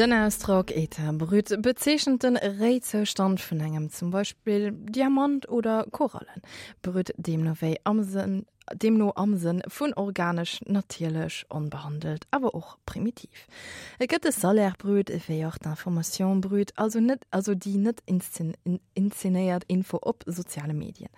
Den Ausdrock État brut bezeechent den Réizoustand vun engem, zum Beispill Diamant oder Korallen. Brut deemno wéi am Sënn deemno am Sënn vun organesch, natierlech, onbehandelt, awer och primitiv. Et gëtt de Salaire brut ewéi och d'Information brute, also net also déi net inszenéiert Info op soziale Medien.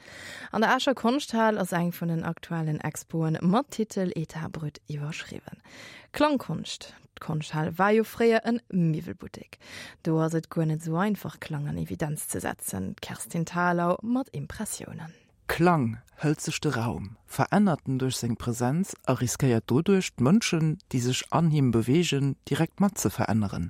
An der Escher Konschthal ass eng vun den aktuellen Expoen mat Titel État brut iwwerschriwwen. Klangkonscht, D'Konschthal war jo fréier en Miwwelbuttek. Do ass et guer net esou einfach Klang an Evidenz ze setzen. D'Kerstin Thalau mat Impressiounen. Klang hëlt sech de Raum, verännert en duerch seng Presenz a riskéiert doduerch, d'Mënschen, déi sech an him beweegen, direkt mat ze veränneren.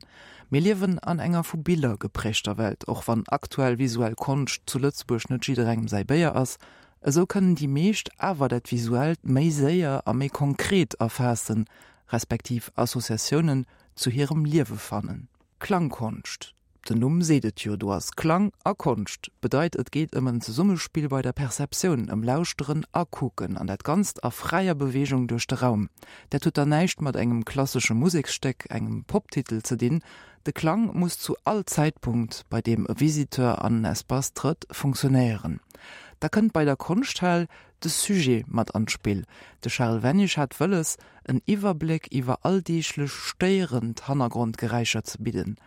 Mir liewen an enger vu Biller geprägter Welt, och wann aktuell visuell Konscht zu Lëtzebuerg net jidderengem säi Béier ass, esou kënnen déi meescht awer dat Visuellt méi séier a méi konkret erfaassen, respektiv Associatiounen zu hirem Liewe fannen. Klangkonscht, den Numm seet et jo, do ass Klang a Konscht, bedeit et geet ëm en Zesummespill bei der Perceptioun, ëm Lauschteren a Kucken, an dat Ganzt a fräier Beweegung duerch de Raum. Dat huet dann näischt mat engem klassesche Museksstéck, engem Poptitel ze dinn. De Klang muss zu all Zäitpunkt, bei deem e Visiteur an en Espace trëtt, funktionéieren. Da kënnt bei der Konschthal de Sujet mat an d'Spill. De Charles Wennig hat wëlles, en Iwwerbléck iwwer alldeeglech stéierend Hannergrondgeräischer ze bidden.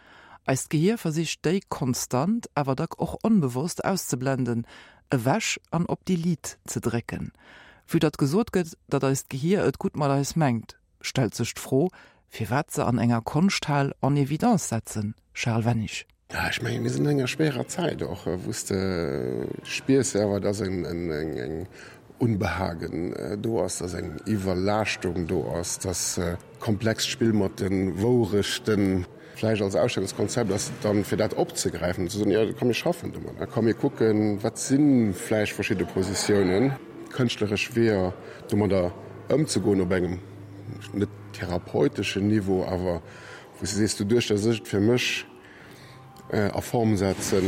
Eist Gehier versicht déi konstant, awer dack och onbewosst auszeblenden, ewech an op Delete ze drécken. Vue datt gesot gëtt, datt eist Gehier et gutt mat eis mengt, stellt sech d'Fro, firwat se an enger Konschthal en évidence setzen. Charles Wennig. Ja, ech mengen, mir sinn an enger schwéierer Zäit och, wou s de spiers awer, dass eng Unbehagen do ass, dass eng Iwwerlaaschtung do ass, dass komplext Spill mat de Wourechten vläicht als Ausstellungskonzept ass, dann fir dat opzegräifen an ze soen, jo, komm mir schaffen domadder, komm mir kucken, wat si vläicht verschidde Positiounen, kënschtleresch Weeër domadder ëmzegoen op engem net therapeuteschen Niveau, awer wou s de sees, doduerch, dass ech et fir mech a Form setzen,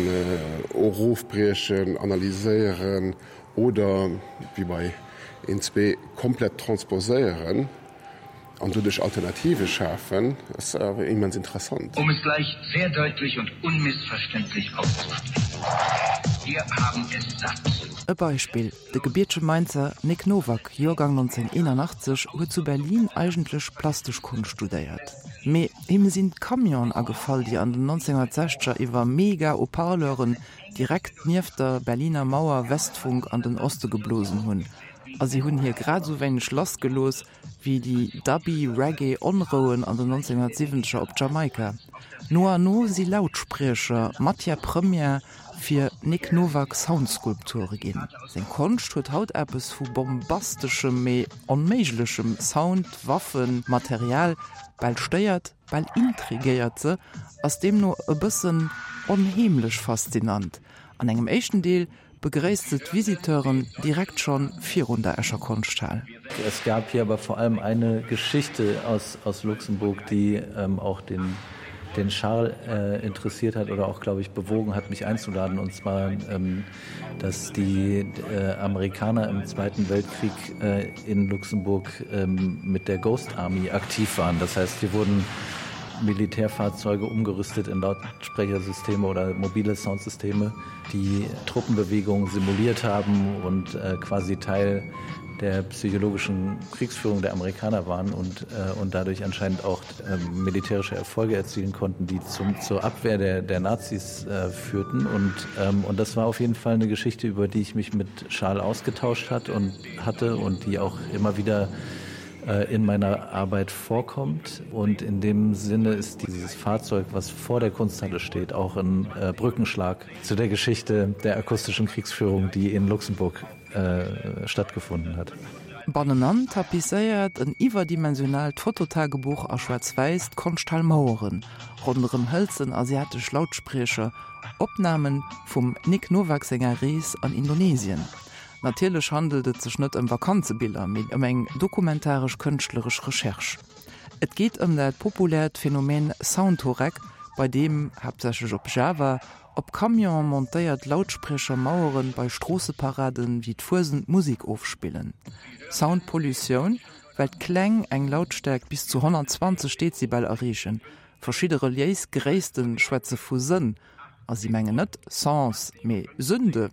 erofbriechen, analyséieren oder, wéi bei een, zwee, komplett transposéieren an doduerch Alternative schafen, ass awer immens interessant. Um es gleich sehr deutlich und unmissverständlich auszusprechen, Wir haben es satt. E Beispill, De gebiertege Mainzer Nick Novak, Joergang 1981, huet zu Berlin eigentlech plastesch Konscht studéiert. Mee him sinn d'Camionen agefall, déi an den 1960er iwwer Mega-Haut-Parleuren direkt nieft der Berliner Mauer Westfunk an den Oste geblosen hunn. A si hunn hie grad esou wéineg lassgelooss wéi déi dubby Reggae-Onrouen an den 1970er op Jamaika. No an no si Lautspriecher Matière première fir Nick Novak Soundskulpture ginn. Seng Konscht huet haut eppes vu bombasteschem, mee onméiglechem Sound, Waffen, Material, bal stéiert, bal intrigéiert se, ass deemno e bëssen onheemlech faszinant. An engem éischten Deel begréisst se d'Visiteuren direkt schonn virun der Escher Konschthal. Es gab hier aber vor allem eine Geschichte aus, aus Luxemburg, die ähm, auch den, den Charles äh, interessiert hat oder auch, glaube ich, bewogen hat, mich einzuladen. Und zwar, ähm, dass die äh, Amerikaner im Zweiten Weltkrieg äh, in Luxemburg ähm, mit der Ghost Army aktiv waren. Das heißt, hier wurden Militärfahrzeuge umgerüstet in Lautsprechersysteme oder mobile Soundsysteme, die Truppenbewegungen simuliert haben und äh, quasi Teil der psychologischen Kriegsführung der Amerikaner waren und, äh, und dadurch anscheinend auch äh, militärische Erfolge erzielen konnten, die zum, zur Abwehr der, der Nazis äh, führten. Und, ähm, und das war auf jeden Fall eine Geschichte, über die ich mich mit Schal ausgetauscht hat und hatte und die auch immer wieder äh, in meiner Arbeit vorkommt. Und in dem Sinne ist dieses Fahrzeug, was vor der Kunsthalle steht, auch ein äh, Brückenschlag zu der Geschichte der akustischen Kriegsführung, die in Luxemburg äh, stattgefunden hat. Bannenan tapisséiert en iwwerdimensionaalt Fototagebuch a Schwaarz-Wäiss d'Konschthal Maueren, ronderëm hëlzen asiatesch Lautspriecher, Opname vum Nick Novak senger Rees an Indonesien. Natierlech handelt et sech net ëm Vakanzebiller, mee ëm eng dokumentaresch-kënschtleresch Recherche. Et geet ëm dat populäert Phänomen Soundtourette, bei deem, haaptsächlech op Java, op Camionen montéiert Lautspriechermaueren bei Stroosseparaden wéi d'Fuesent Musek ofspillen. Soundpollutioun, well d'Kläng eng Lautstäerkt bis zu 120 Dezibel erreechen. Verschidde reliéis Gréisste schwätze vu Sënn, a si mengen net Sens, mee Sünde.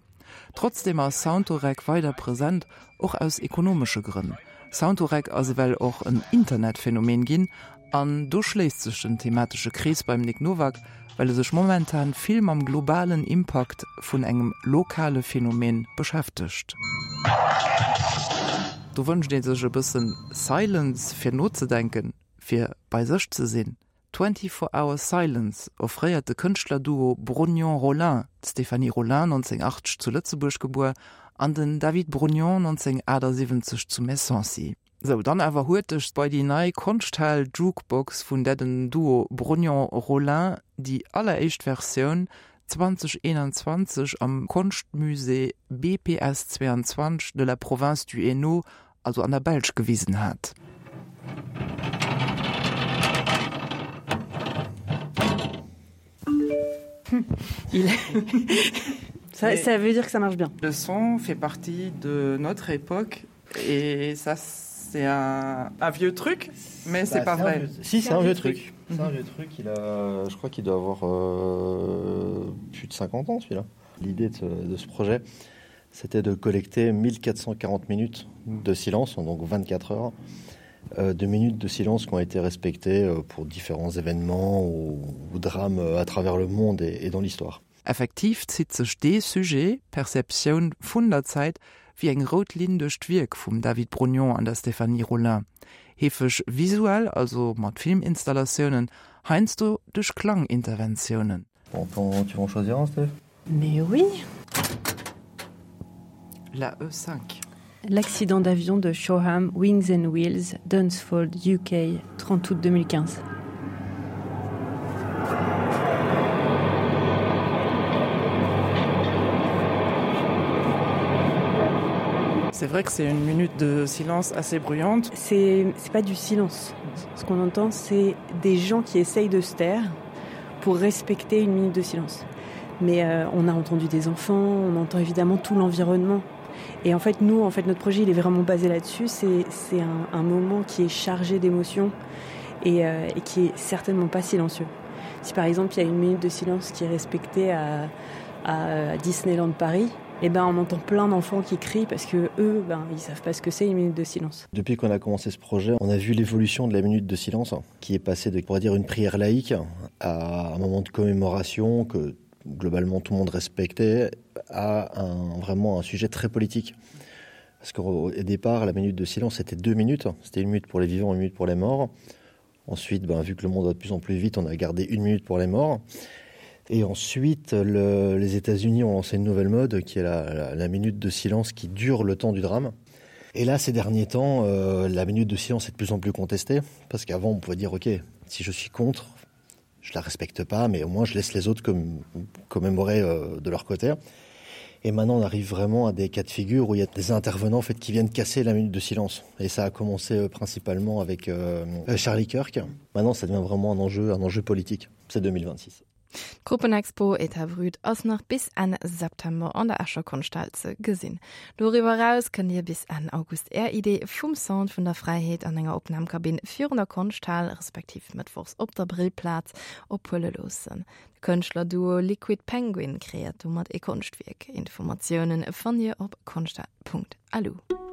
Trotzdeem ass Soundtorec weider present, och aus ekonomesche Grënn. Soundtorec ass ewell och en Internetphänomen ginn, an do schléisst sech den thematesche Krees beim Nick Novak, well e sech momentan vill mam globalen Impakt vun engem lokale Phänomen beschäftegt. Do wënscht ee sech e bëssen Silence fir nozedenken, fir bei sech ze sinn. 24 Hour Silence offréiert de Kënschtlerduo Brognon-Rollin, d'Stéphanie Rollin, 1980 zu Lëtzebuerg gebuer, an den David Brognon, 1978 zu Messancy. Sou, dann awer huerteg bei déi nei Konschthal Jukebox, vun där den Duo Brognon-Rollin déi alleréischt Versioun 2021 am Konschtmusée BPS 22 de la Province du Hainaut also an der Belsch gewisen hat. Il ça, ça veut dire que ça marche bien. Le son fait partie de notre époque et ça c'est un, un vieux truc mais c'est pas vrai. Vieux... Si c'est un, un vieux truc. truc. C'est un vieux truc, il a je crois qu'il doit avoir euh, plus de 50 ans celui-là. L'idée de ce, de ce projet, c'était de collecter 1440 minutes de silence, donc 24 heures euh, de minutes de silence qui ont été respectées euh, pour différents événements ou, ou drames euh, à travers le monde et, et dans l'histoire. Effektiv zitt sech dee Sujet, Perceptioun vun der Zäit, wéi eng rout Linn duerch d'Wierk vum David Brognon an der Stéphanie Rollin. Heefeg visuell, also mat Filminstallatiounen, heiansdo duerch Klanginterventiounen. Bon, tu veux en choisir un, Steph Mais oui. La E5. L'accident d'avion de Shoreham Wings and Wheels, Dunsfold, UK, 30 août 2015. C'est vrai que c'est une minute de silence assez bruyante. C'est pas du silence. Ce qu'on entend, c'est des gens qui essayent de se taire pour respecter une minute de silence. Mais euh, on a entendu des enfants, on entend évidemment tout l'environnement. Et en fait, nous, en fait, notre projet il est vraiment basé là-dessus. C'est un, un moment qui est chargé d'émotions et, euh, et qui est certainement pas silencieux. Si par exemple il y a une minute de silence qui est respectée à, à Disneyland Paris, et eh ben on entend plein d'enfants qui crient parce que eux ben ils savent pas ce que c'est une minute de silence. Depuis qu'on a commencé ce projet, on a vu l'évolution de la minute de silence qui est passée de pourrait dire une prière laïque à un moment de commémoration que globalement tout le monde respectait à un, vraiment un sujet très politique. Parce qu'au départ, la minute de silence c'était deux minutes, c'était une minute pour les vivants, une minute pour les morts. Ensuite, ben, vu que le monde va de plus en plus vite, on a gardé une minute pour les morts. Et ensuite, le, les États-Unis ont lancé une nouvelle mode qui est la, la, la minute de silence qui dure le temps du drame. Et là, ces derniers temps, euh, la minute de silence est de plus en plus contestée parce qu'avant, on pouvait dire ok, si je suis contre, je la respecte pas, mais au moins je laisse les autres comme, commémorer euh, de leur côté. Et maintenant, on arrive vraiment à des cas de figure où il y a des intervenants en fait, qui viennent casser la minute de silence. Et ça a commencé euh, principalement avec euh, Charlie Kirk. Maintenant, ça devient vraiment un enjeu, un enjeu politique. C'est 2026. D'Gruppenexpo État Brut ass nach bis Enn September an der Escher Konschthal ze gesinn. Doriwwer eraus kënnt Dir bis Enn August Är Idee vum Sound vun der Fräiheet an enger Opnamkabinn virun der Konschthal, respektiv mëttwochs op der Brillplaz, ophuele loossen. De Kënschtlerduo Liquid Penguin kreéiert domat ee Konschtwierk. Informatiounen fannt Dir op konschthaal.lu.